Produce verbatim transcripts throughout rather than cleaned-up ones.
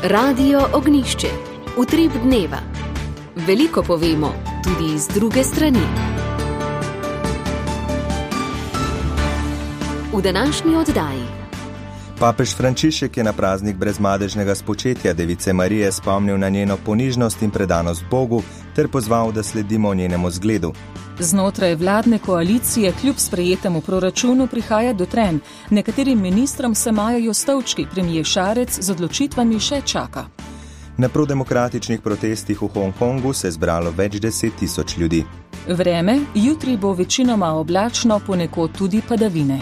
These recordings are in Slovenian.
Radio Ognjišče. Utrip dneva. Veliko povemo, tudi iz druge strani. V današnji oddaji. Papež Frančišek je na praznik brezmadežnega spočetja Device Marije spomnil na njeno ponižnost in predanost Bogu ter pozval, da sledimo njenemu zgledu. Znotraj vladne koalicije kljub sprejetemu proračunu prihaja do trenj. Nekaterim ministrom se majajo stolčki, premier Šarec z odločitvami še čaka. Na prodemokratičnih protestih v Hongkongu se je zbralo več deset tisoč ljudi. Vreme, jutri bo večinoma oblačno, ponekod tudi padavine.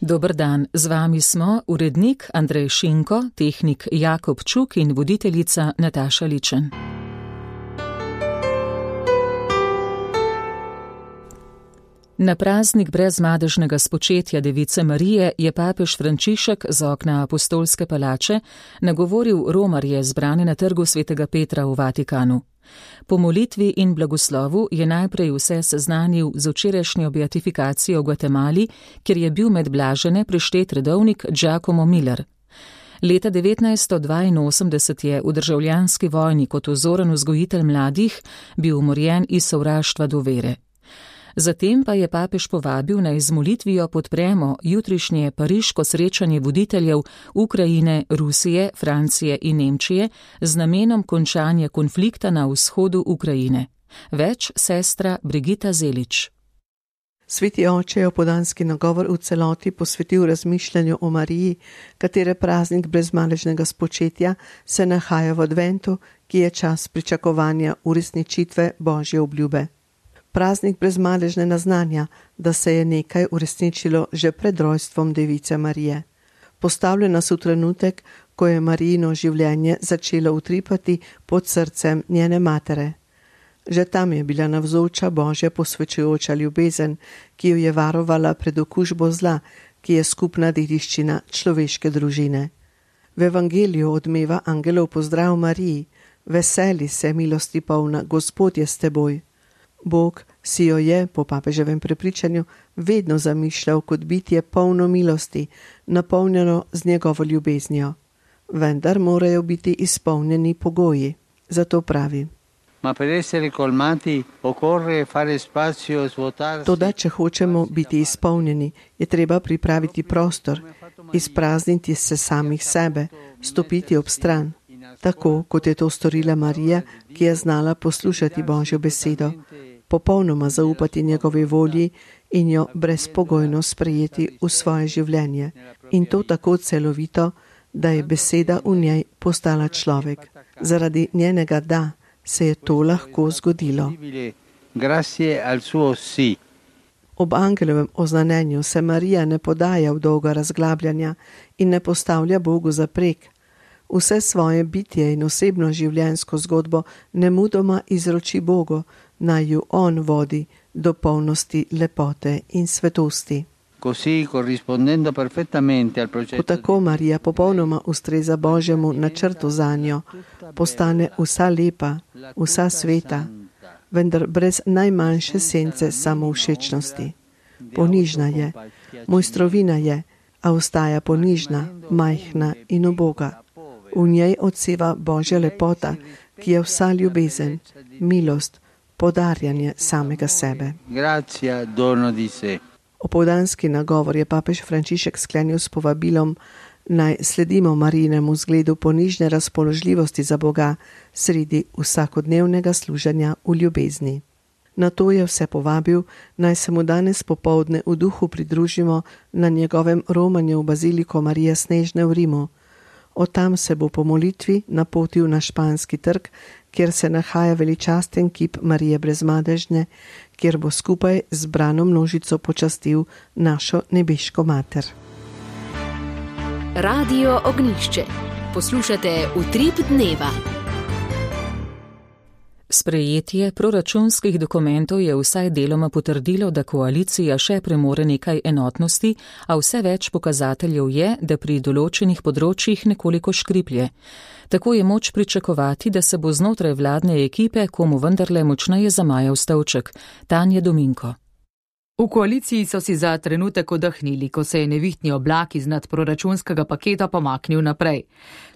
Dober dan, z vami smo urednik Andrej Šinko, tehnik Jakob Čuk in voditeljica Nataša Ličen. Na praznik brezmadežnega spočetja Device Marije je papež Frančišek z okna apostolske palače nagovoril romarje zbrane na trgu svetega Petra v Vatikanu. Po molitvi in blagoslovu je najprej vse seznanil z včerajšnjo beatifikacijo v Gvatemali, kjer je bil med blažene prištet redovnik Giacomo Miller. Leta devetnajststo dvainosemdeset je v državljanski vojni kot vzoren vzgojitelj mladih bil umorjen iz sovraštva do vere. Zatem pa je papež povabil, naj z molitvijo podpremo jutrišnje pariško srečanje voditeljev Ukrajine, Rusije, Francije in Nemčije z namenom končanja konflikta na vzhodu Ukrajine. Več sestra Brigita Zelič. Sveti oče je opoldanski nagovor v celoti posvetil razmišljanju o Mariji, katere praznik brezmadežnega spočetja se nahaja v adventu, ki je čas pričakovanja uresničitve Božje obljube. Praznik brezmadežne naznanja, da se je nekaj uresničilo že pred rojstvom Device Marije. Postavlja nas v trenutek, ko je Marijino življenje začelo utripati pod srcem njene matere. Že tam je bila navzoča Božja posvečujoča ljubezen, ki jo je varovala pred okužbo zla, ki je skupna dediščina človeške družine. V evangeliju odmeva angelov pozdrav Mariji: veseli se, milosti polna, Gospod je s teboj. Bog si jo je, po papeževem prepričanju, vedno zamišljal kot bitje polno milosti, napolnjeno z njegovo ljubeznijo. Vendar morajo biti izpolnjeni pogoji. Zato pravi: Toda, če hočemo biti izpolnjeni, je treba pripraviti prostor, izprazniti se samih sebe, stopiti ob stran, tako kot je to storila Marija, ki je znala poslušati Božjo besedo, popolnoma zaupati njegovi volji in jo brezpogojno sprejeti v svoje življenje. In to tako celovito, da je beseda v njej postala človek. Zaradi njenega da se je to lahko zgodilo. Ob angelovem oznanjenju se Marija ne podaja v dolga razglabljanja in ne postavlja Bogu zaprek. Vse svoje bitje in osebno življenjsko zgodbo nemudoma izroči Bogu, naj ju on vodi do polnosti lepote in svetosti. Ko tako Marija popolnoma ustreza Božjemu načrtu zanjo, postane vsa lepa, vsa sveta, vendar brez najmanjše sence samovšečnosti. Ponižna je, mojstrovina je, a ostaja ponižna, majhna in uboga. V njej odseva Božja lepota, ki je vsa ljubezen, milost, podarjanje samega sebe. Opoldanski nagovor je papež Frančišek sklenil s povabilom, naj sledimo Marijinemu zgledu ponižne razpoložljivosti za Boga sredi vsakodnevnega služenja v ljubezni. Na to je vse povabil, naj se mu danes popoldne v duhu pridružimo na njegovem romanju v Baziliko Marije Snežne v Rimu. Od tam se bo po molitvi napotil na Španski trg, kjer se nahaja veličasten kip Marije brezmadežne, kjer bo skupaj z zbrano množico počastil našo nebeško mater. Radio Ognjišče. Poslušate Utrip dneva. Sprejetje proračunskih dokumentov je vsaj deloma potrdilo, da koalicija še premore nekaj enotnosti, a vse več pokazateljev je, da pri določenih področjih nekoliko škriplje. Tako je moč pričakovati, da se bo znotraj vladne ekipe komu vendarle močneje zamajal stolček. Tanja Dominko. V koaliciji so si za trenutek odahnili, ko se je nevihtni oblak iz nadproračunskega paketa pomaknil naprej.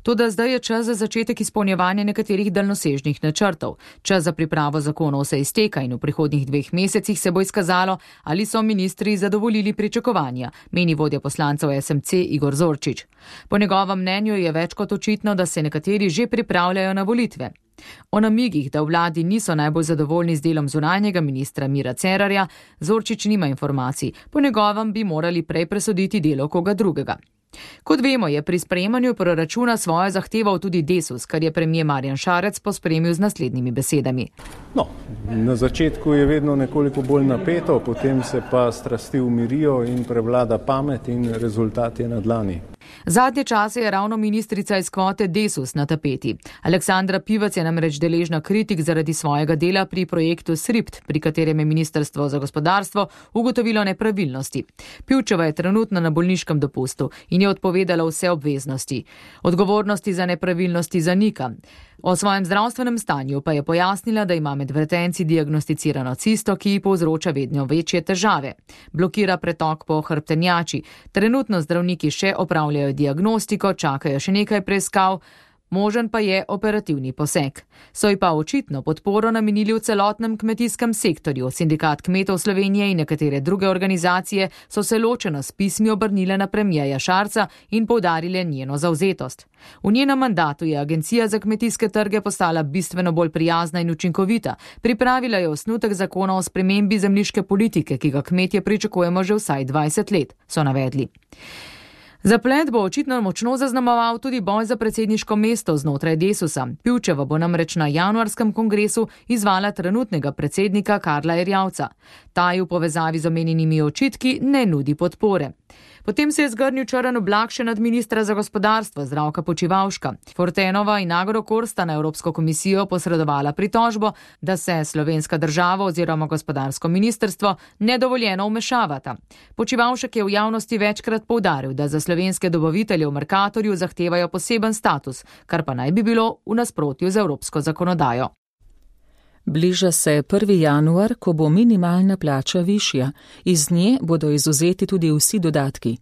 Toda zdaj je čas za začetek izpolnjevanja nekaterih daljnosežnih načrtov. Čas za pripravo zakonov se izteka in v prihodnjih dveh mesecih se bo izkazalo, ali so ministri zadovoljili pričakovanja, meni vodja poslancev S M C Igor Zorčič. Po njegovem mnenju je več kot očitno, da se nekateri že pripravljajo na volitve. O namigih, da v vladi niso najbolj zadovoljni z delom zunanjega ministra Mira Cerarja, Zorčič nima informacij. Po njegovem bi morali prej presoditi delo koga drugega. Kot vemo, je pri sprejemanju proračuna svojo zahteval tudi Desus, kar je premier Marjan Šarec pospremil z naslednjimi besedami. No, na začetku je vedno nekoliko bolj napeto, potem se pa strasti umirijo in prevlada pamet in rezultat je na dlani. Zadnje čase je ravno ministrica iz kvote Desus na tapeti. Aleksandra Pivec je namreč deležna kritik zaradi svojega dela pri projektu SRIPT, pri katerem je Ministrstvo za gospodarstvo ugotovilo nepravilnosti. Pivčeva je trenutno na bolniškem dopustu in je odpovedala vse obveznosti. Odgovornosti za nepravilnosti zanika. O svojem zdravstvenem stanju pa je pojasnila, da ima med vretenci diagnosticirano cisto, ki ji povzroča vedno večje težave. Blokira pretok po hrbtenjači. Trenutno zdravniki še opravljajo diagnostiko, čakajo še nekaj preiskav, možen pa je operativni poseg. So ji pa očitno podporo namenili v celotnem kmetijskem sektorju. Sindikat kmetov Slovenije in nekatere druge organizacije so se ločeno s pismi obrnile na premierja Šarca in poudarile njeno zavzetost. V njenem mandatu je Agencija za kmetijske trge postala bistveno bolj prijazna in učinkovita. Pripravila je osnutek zakona o spremembi zemljiške politike, ki ga kmetje pričakujemo že vsaj dvajset let, so navedli. Zaplet bo očitno močno zaznamoval tudi boj za predsedniško mesto znotraj Desusa. Pivčeva bo namreč na januarskem kongresu izvala trenutnega predsednika Karla Erjavca. Ta ji v povezavi z omenjenimi očitki ne nudi podpore. Potem se je zgrnil črn oblak še nad ministra za gospodarstvo Zdravka Počivalška. Fortenova in Agrokor sta na Evropsko komisijo posredovala pritožbo, da se slovenska država oziroma gospodarsko ministrstvo nedovoljeno vmešavata. Počivalšek je v javnosti večkrat poudaril, da za slovenske dobavitelje v Mercatorju zahtevajo poseben status, kar pa naj bi bilo v nasprotju z evropsko zakonodajo. Bliža se prvi januar, ko bo minimalna plača višja. Iz nje bodo izvzeti tudi vsi dodatki.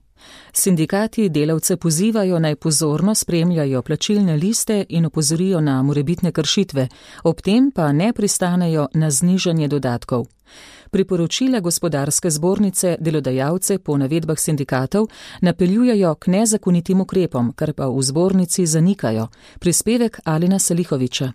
Sindikati delavce pozivajo naj pozorno spremljajo plačilne liste in opozorijo na morebitne kršitve, ob tem pa ne pristanejo na znižanje dodatkov. Priporočila gospodarske zbornice delodajalce po navedbah sindikatov napeljujejo k nezakonitim ukrepom, kar pa v zbornici zanikajo. Prispevek Alina Salihoviča.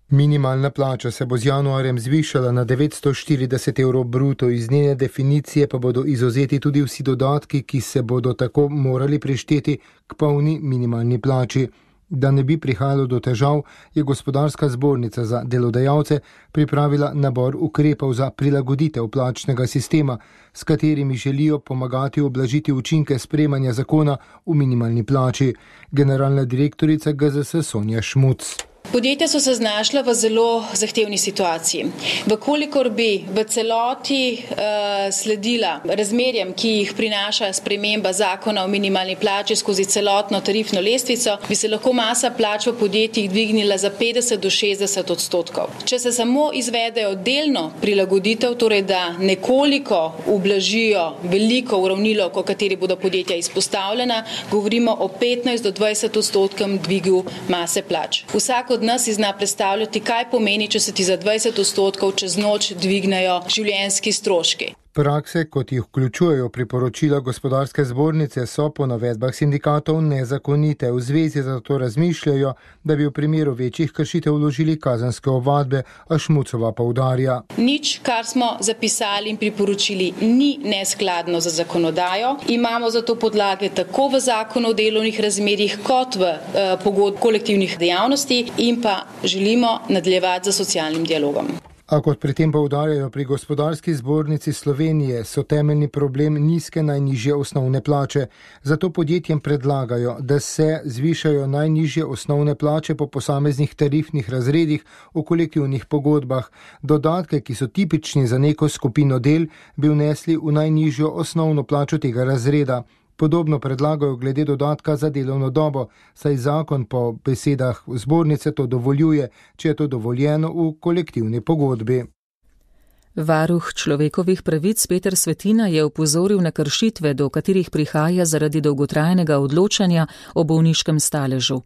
Minimalna plača se bo z januarjem zvišala na devetsto štirideset evrov bruto, iz njene definicije pa bodo izvzeti tudi vsi dodatki, ki se bodo tako morali prišteti k polni minimalni plači. Da ne bi prihajalo do težav, je gospodarska zbornica za delodajalce pripravila nabor ukrepov za prilagoditev plačnega sistema, s katerimi želijo pomagati ublažiti učinke sprejemanja zakona v minimalni plači. Generalna direktorica G Z S Sonja Šmuc. Podjetja so se znašla v zelo zahtevni situaciji. Vkolikor bi v celoti uh, sledila razmerjem, ki jih prinaša sprememba zakona o minimalni plači skozi celotno tarifno lestvico, bi se lahko masa plač v podjetjih dvignila za petdeset do šestdeset odstotkov. Če se samo izvedejo delno prilagoditev, torej da nekoliko ublažijo veliko uravnilovk, o kateri bodo podjetja izpostavljena, govorimo o petnajst do dvajset odstotkem dvigu mase plač. Vsak od nas si zna predstavljati, kaj pomeni, če se ti za dvajset odstotkov čez noč dvignejo življenjski stroški. Prakse, kot jih vključujejo priporočila gospodarske zbornice, so po navedbah sindikatov nezakonite. V zvezi zato razmišljajo, da bi v primeru večjih kršitev vložili kazenske ovadbe, a Šmucova poudarja. Nič, kar smo zapisali in priporočili, ni neskladno za zakonodajo. Imamo zato podlage tako v zakonu o delovnih razmerjih kot v eh, pogodbi kolektivnih dejavnosti in pa želimo nadaljevati z socialnim dialogom. A kot pri tem poudarjajo pri gospodarski zbornici Slovenije, so temeljni problem nizke najnižje osnovne plače. Zato podjetjem predlagajo, da se zvišajo najnižje osnovne plače po posameznih tarifnih razredih v kolektivnih pogodbah. Dodatke, ki so tipični za neko skupino del, bi vnesli v najnižjo osnovno plačo tega razreda. Podobno predlagajo glede dodatka za delovno dobo, saj zakon po besedah zbornice to dovoljuje, če je to dovoljeno v kolektivni pogodbi. Varuh človekovih pravic Peter Svetina je opozoril na kršitve, do katerih prihaja zaradi dolgotrajnega odločanja o bolniškem staležu.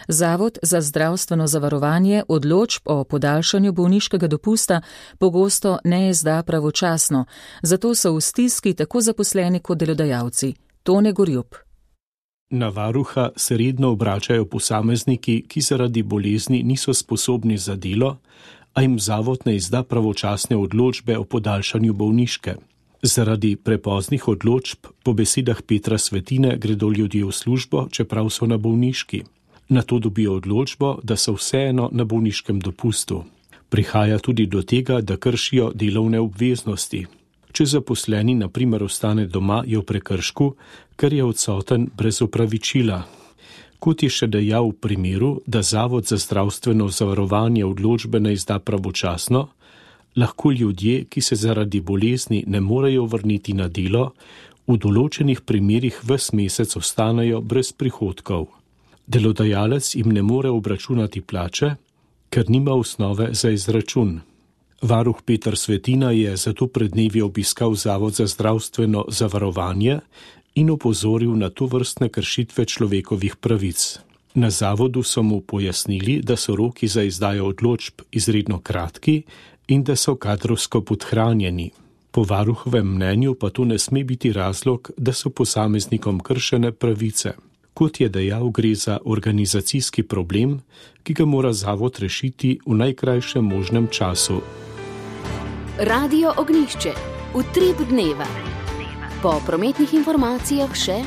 Zavod za zdravstveno zavarovanje odločb o podaljšanju bolniškega dopusta pogosto ne izda pravočasno, zato so v stiski tako zaposleni kot delodajalci. Tone Gorjup. Na varuha se redno obračajo posamezniki, ki zaradi bolezni niso sposobni za delo, a jim zavod ne izda pravočasne odločbe o podaljšanju bolniške. Zaradi prepoznih odločb, po besedah Petra Svetine, gredo ljudje v službo, čeprav so na bolniški. Nato dobijo odločbo, da so vseeno na bolniškem dopustu. Prihaja tudi do tega, da kršijo delovne obveznosti. Če zaposleni na primer ostane doma, je v prekršku, ker je odsoten brez opravičila. Kot je še dejal v primeru, da Zavod za zdravstveno zavarovanje odločbe ne izda pravočasno, lahko ljudje, ki se zaradi bolezni ne morejo vrniti na delo, v določenih primerih ves mesec ostanejo brez prihodkov. Delodajalec jim ne more obračunati plače, ker nima osnove za izračun. Varuh Peter Svetina je zato pred dnevi obiskal Zavod za zdravstveno zavarovanje in opozoril na tovrstne kršitve človekovih pravic. Na zavodu so mu pojasnili, da so roki za izdajo odločb izredno kratki in da so kadrovsko podhranjeni. Po varuhovem mnenju pa to ne sme biti razlog, da so posameznikom kršene pravice. Kot je dejal, gre za organizacijski problem, ki ga mora zavod rešiti v najkrajšem možnem času. Radio Ognjišče. Utrip dneva. Po prometnih informacijah še.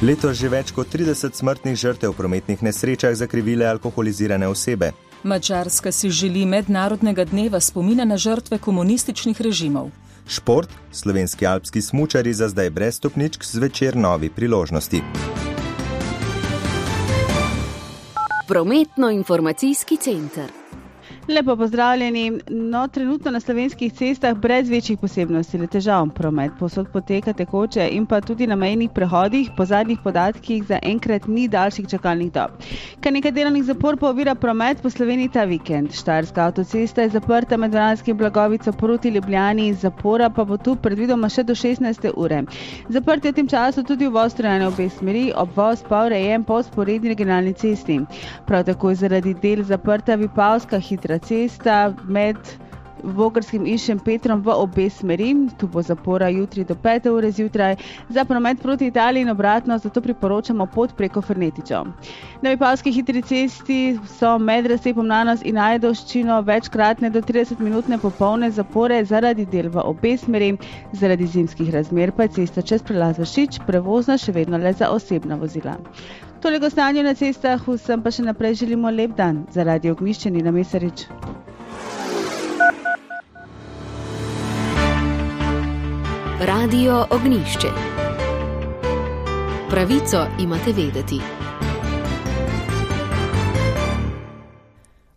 Letos že več kot trideset smrtnih žrtev v prometnih nesrečah zakrivile alkoholizirane osebe. Madžarska si želi mednarodnega dneva spomina na žrtve komunističnih režimov. Šport, slovenski alpski smučari za zdaj brez stopničk, zvečer novi priložnosti. Prometno-informacijski center. Lepo pozdravljeni. No, trenutno na slovenskih cestah brez večjih posebnosti le težav promet. Povsod poteka tekoče in pa tudi na mejnih prehodih po zadnjih podatkih za enkrat ni daljših čakalnih dob. Kar nekaj delovnih zapor pa ovira promet po Sloveniji ta vikend. Štajerska avtocesta je zaprta med Vransko in Blagovico proti Ljubljani, zapora pa bo tu predvidoma še do šestnajste ure. Zaprt je v tem času tudi uvoz Trojane obe smeri, obvoz pa urejen po vzporedni regionalni cesti. Prav tako je zaradi del zaprta Vipavska hitra cesta med Vogrskim in Šempetrom v obe smeri. Tu bo zapora jutri do pete ure zjutraj. Za promet proti Italiji in obratno, zato priporočamo pot preko Fernetičev. Na Vipavski hitri cesti so med razcepom Nanos in Ajdovščino večkratne do trideset minutne popolne zapore zaradi del v obe smeri. Zaradi zimskih razmer pa je cesta čez prelaz Vršič prevozna še vedno le za osebna vozila. Toliko stanje na cestah, vsem pa še naprej želimo lep dan. Za Radio Ognjišče Nina Mesarič. Radio Ognjišče. Pravico imate vedeti.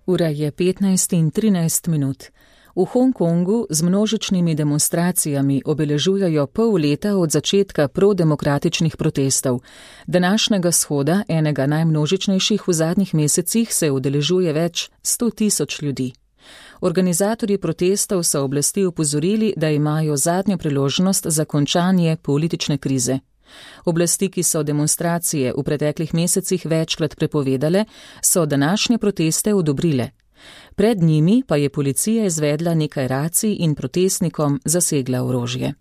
Ura je petnajst in trinajst minut. V Hongkongu z množičnimi demonstracijami obeležujejo pol leta od začetka prodemokratičnih protestov. Današnjega shoda, enega najmnožičnejših v zadnjih mesecih, se udeležuje več sto tisoč ljudi. Organizatorji protestov so oblasti opozorili, da imajo zadnjo priložnost za končanje politične krize. Oblasti, ki so demonstracije v preteklih mesecih večkrat prepovedale, so današnje proteste odobrile. Pred njimi pa je policija izvedla nekaj racij in protestnikom zasegla orožje.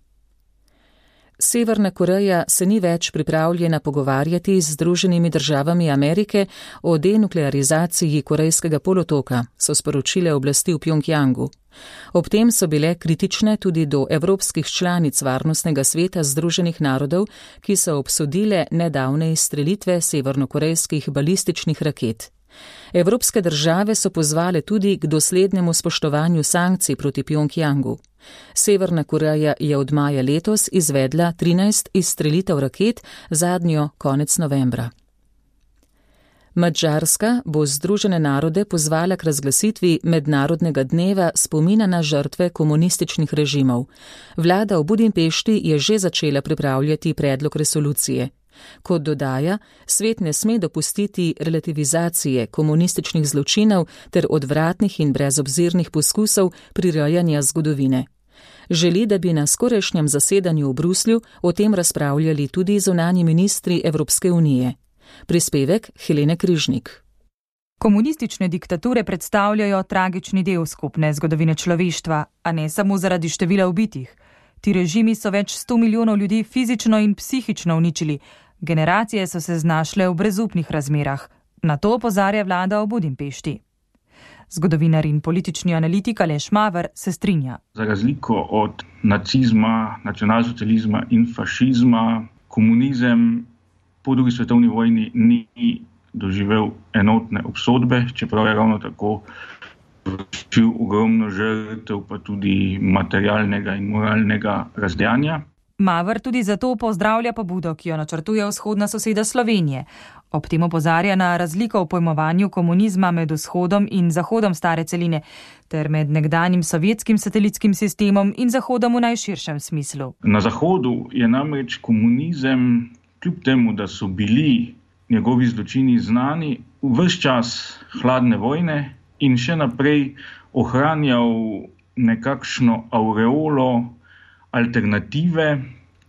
Severna Koreja se ni več pripravljena pogovarjati z Združenimi državami Amerike o denuklearizaciji Korejskega polotoka, so sporočile oblasti v Pjongjangu. Ob tem so bile kritične tudi do evropskih članic Varnostnega sveta Združenih narodov, ki so obsodile nedavne izstrelitve severnokorejskih balističnih raket. Evropske države so pozvale tudi k doslednemu spoštovanju sankcij proti Pjongjangu. Severna Koreja je od maja letos izvedla trinajst izstrelitev raket, zadnjo konec novembra. Madžarska bo Združene narode pozvala k razglasitvi mednarodnega dneva spomina na žrtve komunističnih režimov. Vlada v Budimpešti je že začela pripravljati predlog resolucije. Kot dodaja, svet ne sme dopustiti relativizacije komunističnih zločinov ter odvratnih in brezobzirnih poskusov prirejanja zgodovine. Želi, da bi na skorajšnjem zasedanju v Bruslju o tem razpravljali tudi zunanji ministri Evropske unije. Prispevek Helene Križnik. Komunistične diktature predstavljajo tragični del skupne zgodovine človeštva, a ne samo zaradi števila ubitih. Ti režimi so več sto milijonov ljudi fizično in psihično uničili. Generacije so se znašle v brezupnih razmerah. Na to opozarja vlada v Budimpešti. Zgodovinar in politični analitik Aleš Maver se strinja. Za razliko od nacizma, nacionalsocializma in fašizma, komunizem po drugi svetovni vojni ni doživel enotne obsodbe, čeprav je ravno tako vršil ogromno žrtev, pa tudi materialnega in moralnega razdejanja. Maver tudi zato pozdravlja pobudo, ki jo načrtuje vzhodna soseda Slovenije. Ob tem opozarja na razliko v pojmovanju komunizma med vzhodom in zahodom stare celine, ter med nekdanjim sovjetskim satelitskim sistemom in zahodom v najširšem smislu. Na zahodu je namreč komunizem, kljub temu, da so bili njegovi zločini znani, ves čas hladne vojne in še naprej ohranjal nekakšno aureolo alternative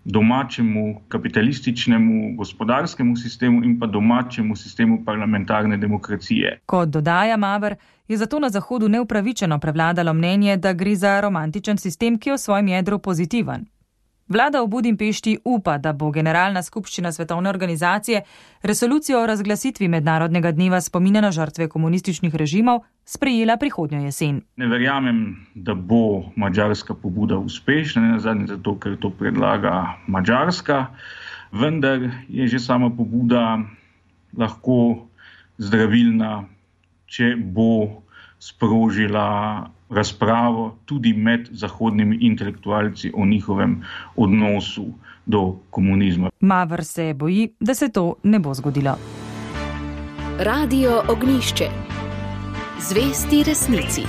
domačemu kapitalističnemu gospodarskemu sistemu in pa domačemu sistemu parlamentarne demokracije. Kot dodaja Maver, je zato na Zahodu neupravičeno prevladalo mnenje, da gre za romantičen sistem, ki je v svojem jedru pozitiven. Vlada v Budimpešti upa, da bo Generalna skupščina Svetovne organizacije resolucijo o razglasitvi mednarodnega dneva spomina na žrtve komunističnih režimov sprejela prihodnjo jesen. Ne verjamem, da bo madžarska pobuda uspešna, ne nazadnje zato, ker to predlaga Madžarska, vendar je že sama pobuda lahko zdravilna, če bo sprožila razpravo tudi med zahodnimi intelektualci o njihovem odnosu do komunizma. Maver se boji, da se to ne bo zgodilo. Radio Ognjišče. Zvesti resnici.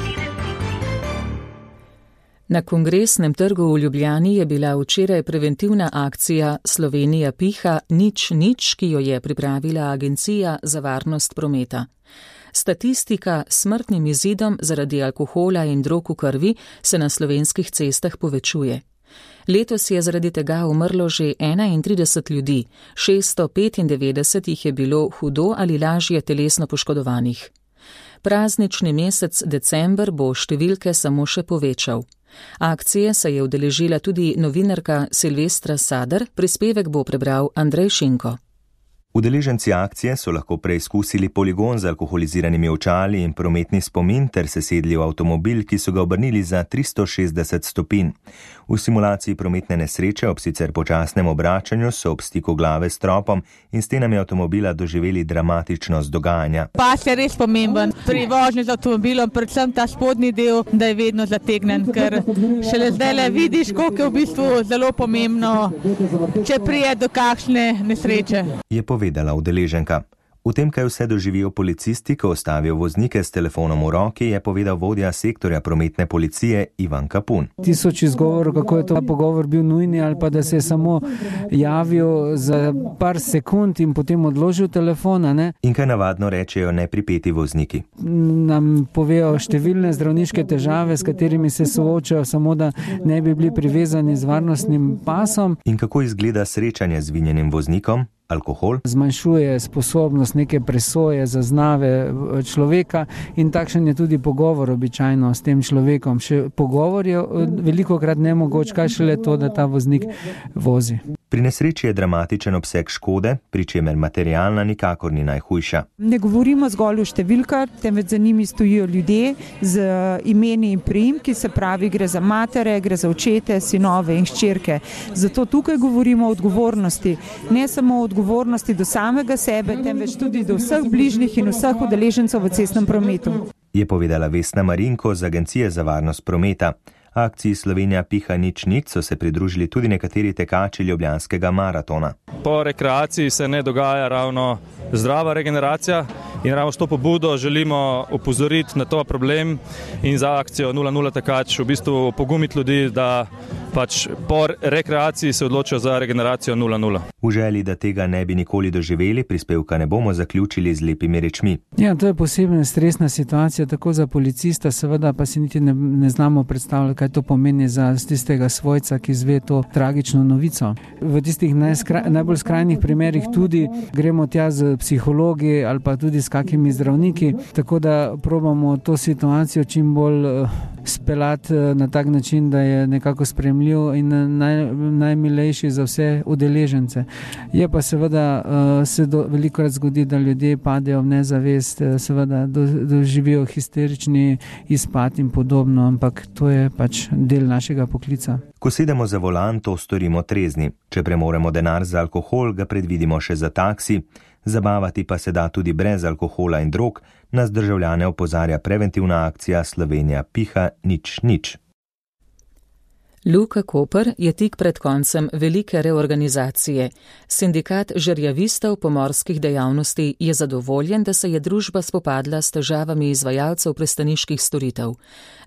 Na Kongresnem trgu v Ljubljani je bila včeraj preventivna akcija Slovenija piha nič nič, ki jo je pripravila Agencija za varnost prometa. Statistika s smrtnim izidom zaradi alkohola in drog v krvi se na slovenskih cestah povečuje. Letos je zaradi tega umrlo že enaintrideset ljudi, šeststo petindevetdeset jih je bilo hudo ali lažje telesno poškodovanih. Praznični mesec december bo številke samo še povečal. Akcije se je udeležila tudi novinarka Silvestra Sadar, prispevek bo prebral Andrej Šinko. Udeleženci akcije so lahko preizkusili poligon z alkoholiziranimi očali in prometni spomin ter se sedli v avtomobil, ki so ga obrnili za tristo šestdeset stopinj. V simulaciji prometne nesreče ob sicer počasnem obračanju so ob stiku glave s tropom in stenami avtomobila doživeli dramatičnost dogajanja. Pas je res pomemben pri vožnji z avtomobilom, predvsem ta spodnji del, da je vedno zategnen, ker šele zdaj le vidiš, koliko je v bistvu zelo pomembno, če prije do kakšne nesreče. Je povedala udeleženka. V tem, kaj vse doživijo policisti, ko ostavijo voznike s telefonom v roki, je povedal vodja sektorja prometne policije Ivan Kapun. Tisoč izgovorov, kako je to pogovor bil nujni ali pa da se je samo javil za par sekund in potem odložil telefona. Ne? In kaj navadno rečejo nepripeti vozniki? Nam povejo številne zdravniške težave, s katerimi se soočajo, samo da ne bi bili privezani z varnostnim pasom. In kako izgleda srečanje z vinjenim voznikom? Alkohol zmanjšuje sposobnost neke presoje, zaznave človeka in takšen je tudi pogovor običajno s tem človekom. Še pogovor je velikokrat nemogoč, kaj šele to, da ta voznik vozi. Pri nesreči je dramatičen obseg škode, pri čemer materialna nikakor ni najhujša. Ne govorimo zgolj o številkah, temveč za njimi stojijo ljudje z imeni in priimki, se pravi, gre za matere, gre za očete, sinove in hčerke. Zato tukaj govorimo o odgovornosti, ne samo o odgovornosti do samega sebe, temveč tudi do vseh bližnjih in vseh udeležencev v cestnem prometu. Je povedala Vesna Marinko z Agencije za varnost prometa. Akciji Slovenija piha nič nič so se pridružili tudi nekateri tekači ljubljanskega maratona. Po rekreaciji se ne dogaja ravno zdrava regeneracija in ravno s to pobudo želimo opozoriti na to problem in za akcijo nula nula tekač v bistvu pogumiti ljudi, da pač po rekreaciji se odločijo za regeneracijo nula nula. V želji, da tega ne bi nikoli doživeli, prispevka ne bomo zaključili z lepimi rečmi. Ja, to je posebna stresna situacija, tako za policista, seveda pa si niti ne, ne znamo predstavljati, kaj to pomeni za tistega svojca, ki izve to tragično novico. V tistih najskra, najbolj skrajnih primerih tudi gremo tja z psihologi ali pa tudi s kakimi zdravniki, tako da probamo to situacijo čim bolj uh, speljati uh, na tak način, da je nekako spremljiv in naj, najmilejši za vse udeležence. Je pa seveda uh, se do, velikokrat zgodi, da ljudje padejo v nezavest, uh, seveda do, doživijo histerični izpad in podobno, ampak to je pač del našega poklica. Ko sedemo za volan, to storimo trezni. Če premoremo denar za alkohol, ga predvidimo še za taksi. Zabavati pa se da tudi brez alkohola in drog, nas državljane opozarja preventivna akcija Slovenija piha nič nič. Luka Koper je tik pred koncem velike reorganizacije. Sindikat žerjavistov pomorskih dejavnosti je zadovoljen, da se je družba spopadla s težavami izvajalcev pristaniških storitev.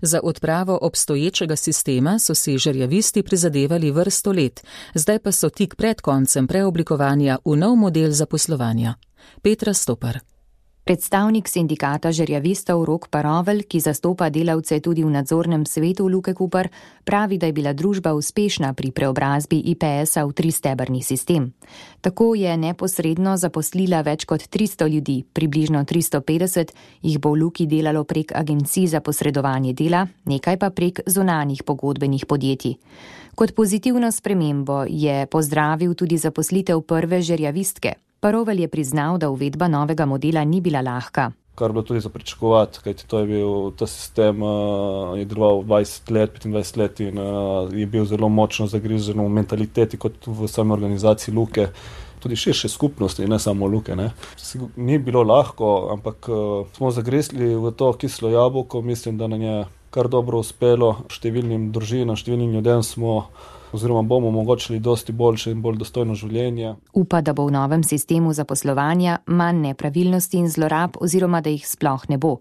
Za odpravo obstoječega sistema so si žerjavisti prizadevali vrsto let, zdaj pa so tik pred koncem preoblikovanja v nov model zaposlovanja. Petra Stopar. Predstavnik sindikata žerjavistov Rok Parovelj, ki zastopa delavce tudi v nadzornem svetu Luke Koper, pravi, da je bila družba uspešna pri preobrazbi I P S-a v tristebrni sistem. Tako je neposredno zaposlila več kot tristo ljudi, približno tristo petdeset jih bo v Luki delalo prek agencij za posredovanje dela, nekaj pa prek zunanjih pogodbenih podjetij. Kot pozitivno spremembo je pozdravil tudi zaposlitev prve žerjavistke. Parovelj je priznal, da uvedba novega modela ni bila lahka. Kar bilo tudi za pričakovati, kajti to je bil, ta sistem uh, je deloval dvajset let, petindvajset let in uh, je bil zelo močno zagrizen v mentaliteti kot v sami organizaciji Luke, tudi širše skupnosti, ne samo Luke. Ne. Ni bilo lahko, ampak uh, smo zagrizli v to kislo jabolko, mislim, da nam je kar dobro uspelo, številnim družinam, številnim ljudem smo oziroma bomo omogočili dosti boljše in bolj dostojno življenje. Upa, da bo v novem sistemu zaposlovanja manj nepravilnosti in zlorab oziroma da jih sploh ne bo.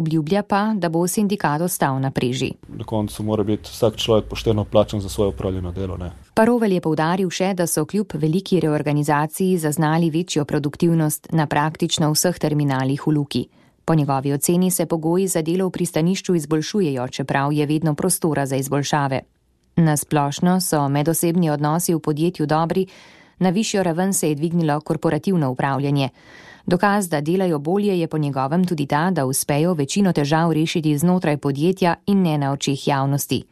Obljublja pa, da bo sindikat ostal na preži. Na koncu mora biti vsak človek pošteno plačan za svoje opravljeno delo. Ne? Parovelj je poudaril še, da so kljub veliki reorganizaciji zaznali večjo produktivnost na praktično vseh terminalih v Luki. Po njegovi oceni se pogoji za delo v pristanišču izboljšujejo, čeprav je vedno prostora za izboljšave. Na splošno so medosebni odnosi v podjetju dobri, na višjo raven se je dvignilo korporativno upravljanje. Dokaz, da delajo bolje, je po njegovem tudi ta, da uspejo večino težav rešiti znotraj podjetja in ne na očeh javnosti.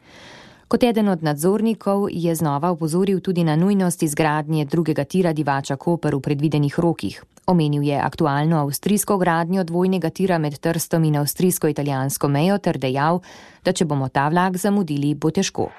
Kot eden od nadzornikov je znova opozoril tudi na nujnost izgradnje drugega tira Divača Koper v predvidenih rokih. Omenil je aktualno avstrijsko gradnjo dvojnega tira med Trstom in avstrijsko-italijansko mejo ter dejal, da če bomo ta vlak zamudili, bo težko.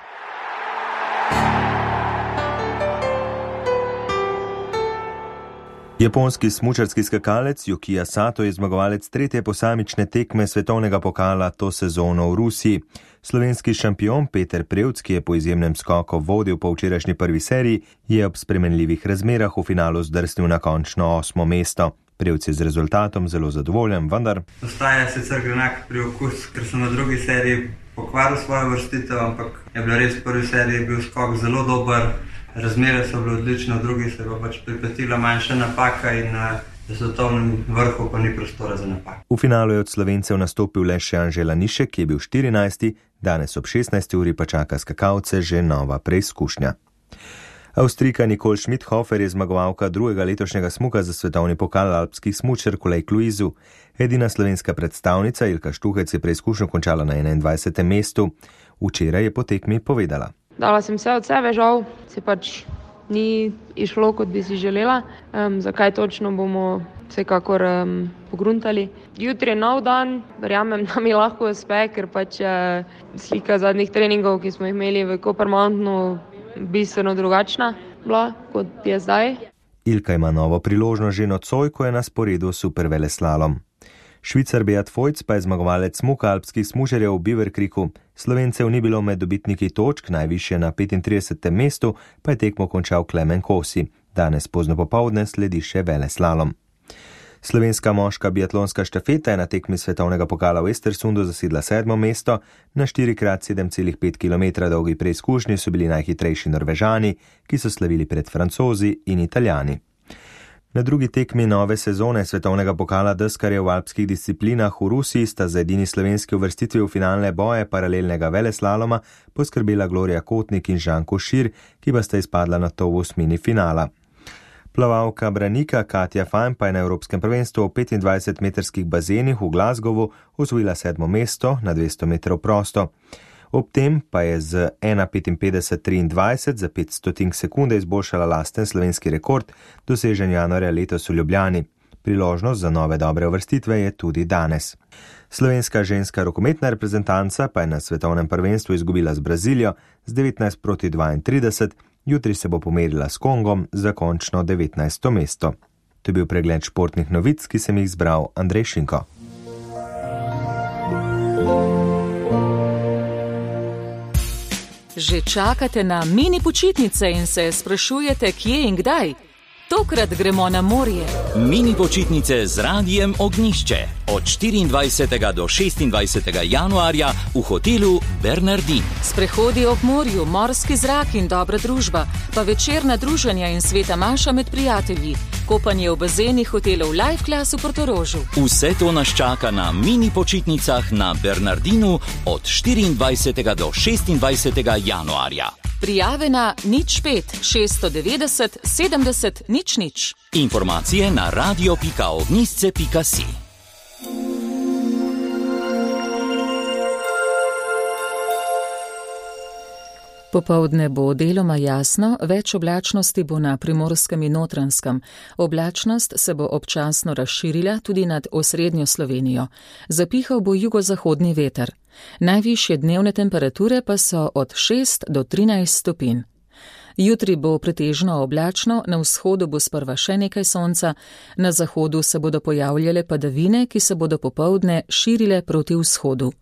Japonski smučarski skakalec Yukiya Sato je zmagovalec tretje posamične tekme svetovnega pokala to sezono v Rusiji. Slovenski šampion Peter Prevc, ki je po izjemnem skoku vodil po včerajšnji prvi seriji, je ob spremenljivih razmerah v finalu zdrsnil na končno osmo mesto. Prevc je z rezultatom zelo zadovoljen, vendar ostaja sicer grenak priokus, ker sem v drugi seriji pokvaril svojo vrstitev, ampak je bilo res v prvi seriji bil skok zelo dober. Razmere so bile odlične, v drugi se je pač pripetila manjša napaka in na svetovnem vrhu pa ni prostora za napak. V finalu je od Slovencev nastopil le še Anže Lanišek, ki je bil štirinajsti, danes ob šestnajsti uri pa čaka skakalce že nova preizkušnja. Avstrijka Nicole Schmidhofer je zmagovalka drugega letošnjega smuka za svetovni pokal alpskih smučark v Lake Louisu. Edina slovenska predstavnica Ilka Štuhec je preizkušnjo končala na enaindvajsetem mestu. Včeraj je po tekmi povedala. Dala sem vse od sebe, žal se pač ni išlo, kot bi si želela. Um, zakaj točno bomo vsekakor um, pogruntali. Jutri je nov dan, verjamem, da mi lahko uspe, ker pač uh, slika zadnjih treningov, ki smo jih imeli v Copper Mountainu, bistveno drugačna bila, kot je zdaj. Ilka ima novo priložnost že nocoj, ko je na sporedu superveleslalom. Švicar Beat Feuz pa je zmagovalec smuka alpskih smučarjev v Beaver Creeku. Slovencev ni bilo med dobitniki točk, najvišje na petintridesetem mestu pa je tekmo končal Klemen Kosi. Danes pozno popovdne sledi še veleslalom. Slovenska moška biatlonska štafeta je na tekmi svetovnega pokala v Estersundu zasedla sedmo mesto. Na štiri krat sedem celih pet kilometra dolgi preizkušnji so bili najhitrejši Norvežani, ki so slavili pred Francozi in Italijani. Na drugi tekmi nove sezone svetovnega pokala deskarjev v alpskih disciplinah v Rusiji sta za edini slovenski uvrstitvi v finalne boje paralelnega veleslaloma poskrbela Gloria Kotnik in Žan Košir, ki pa sta izpadla na to v osmini finala. Plavalka branika Katja Fajn pa je na Evropskem prvenstvu v petindvajsetmetrskih bazenih v Glasgowu osvojila sedmo mesto na dvesto metrov prosto. Ob tem pa je z ena petinpetdeset triindvajset za pet stotink sekunde izboljšala lasten slovenski rekord, dosežen januarja letos v Ljubljani. Priložnost za nove dobre uvrstitve je tudi danes. Slovenska ženska rokometna reprezentanca pa je na svetovnem prvenstvu izgubila z Brazilijo z devetnajst proti dvaintrideset, jutri se bo pomerila s Kongom za končno devetnajsto mesto. To je bil pregled športnih novic, ki sem jih zbral Andrej Šinko. Že čakate na mini počitnice in se sprašujete, kje in kdaj? Tokrat gremo na morje. Mini počitnice z Radijem Ognjišče od štiriindvajsetega do šestindvajsetega januarja v hotelu Bernardin. Sprehodi ob morju, morski zrak in dobra družba, pa večerna druženja in sveta maša med prijatelji, kopanje v bazenih hotelov Life Class v Portorožu. Vse to nas čaka na mini počitnicah na Bernardinu od štiriindvajsetega do šestindvajsetega januarja. Prijave na nič pet šeststo devetdeset sedemdeset nič nič. Informacije na radio pika ognjišče pika si. Popoldne bo deloma jasno, več oblačnosti bo na Primorskem in Notranjskem. Oblačnost se bo občasno razširila tudi nad osrednjo Slovenijo. Zapihal bo jugozahodni veter. Najvišje dnevne temperature pa so od šest do trinajst stopinj. Jutri bo pretežno oblačno, na vzhodu bo sprva še nekaj sonca, na zahodu se bodo pojavljale padavine, ki se bodo popoldne širile proti vzhodu.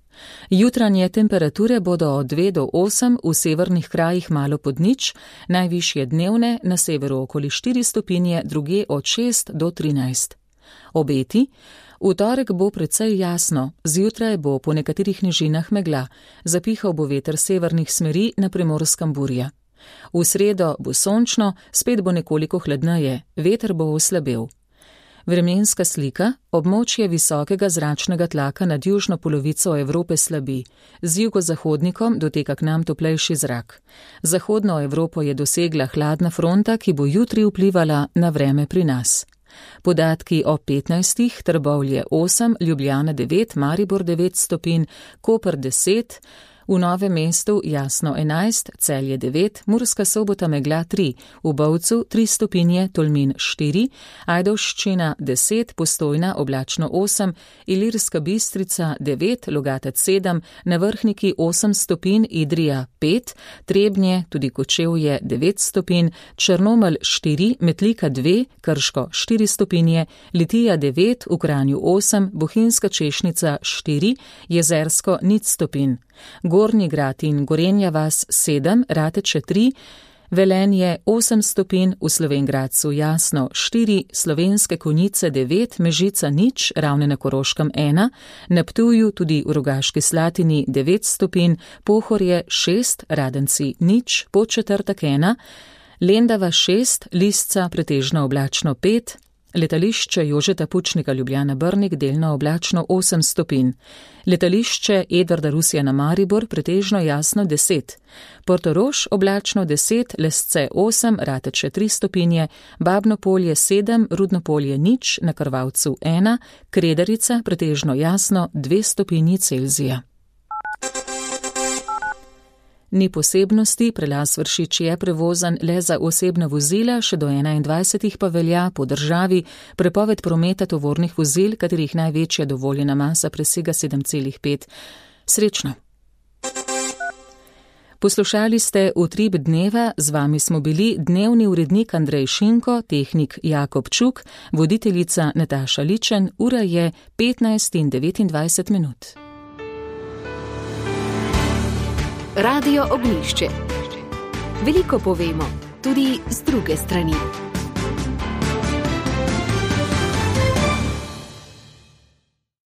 Jutranje temperature bodo od dve do osem, v severnih krajih malo pod nič, najvišje dnevne na severu okoli štiri stopinje, druge od šest do trinajst. Obeti: v torek bo precej jasno, zjutraj bo po nekaterih nižinah megla, zapihal bo veter severnih smeri, na Primorskem burja. V sredo bo sončno, spet bo nekoliko hladneje, veter bo oslabel. Vremenska slika: območje visokega zračnega tlaka nad južno polovico Evrope slabi, z jugozahodnikom doteka k nam toplejši zrak. Zahodno Evropo je dosegla hladna fronta, ki bo jutri vplivala na vreme pri nas. Podatki o petnajstih, Trbovlje osem, Ljubljana devet, Maribor devet stopinj, Koper deset, v Novem mestu jasno enajst, Celje devet, Murska Sobota megla tri, v Bovcu tri stopinje, Tolmin štiri, Ajdovščina deset, Postojna oblačno osem, Ilirska Bistrica devet, Logatec sedem, na Vrhniki osem stopinj, Idrija pet, Trebnje, tudi Kočevje devet stopinj, Črnomelj štiri, Metlika dve, Krško štiri stopinje, Litija devet, v Kranju osem, Bohinjska Češnica štiri, Jezersko nič stopinj. Gornji Grad in Gorenja vas sedem, Rateče tri, Velenje osem stopinj, v Slovenj Gradcu jasno štiri, Slovenske Konjice devet, Mežica nič, Ravne na Koroškem ena, na Ptuju tudi v Rogaški Slatini devet stopinj, Pohorje šest, Radenci nič, Podčetrtek ena, Lendava šest, Lisca pretežno oblačno pet, Letališče Jožeta Pučnika Ljubljana Brnik delno oblačno osem stopinj. Letališče Edvarda Rusjana Maribor pretežno jasno deset. Portorož oblačno deset, Lesce osem, Rateče tri stopinje, Babno Polje sedem, Rudno Polje nič, na Krvavcu ena, Kredarica pretežno jasno dve stopinji Celzija. Ni posebnosti, prelaz Vršič je prevozan le za osebna vozila, še do enaindvajsetih pa velja po državi prepoved prometa tovornih vozil, katerih največja dovoljena masa presega sedem celih pet. Srečno! Poslušali ste Utrip dneva, z vami smo bili dnevni urednik Andrej Šinko, tehnik Jakob Čuk, voditeljica Nataša Ličen, ura je petnajst in devetindvajset minut. Radio Ognjišče. Veliko povemo, tudi z druge strani.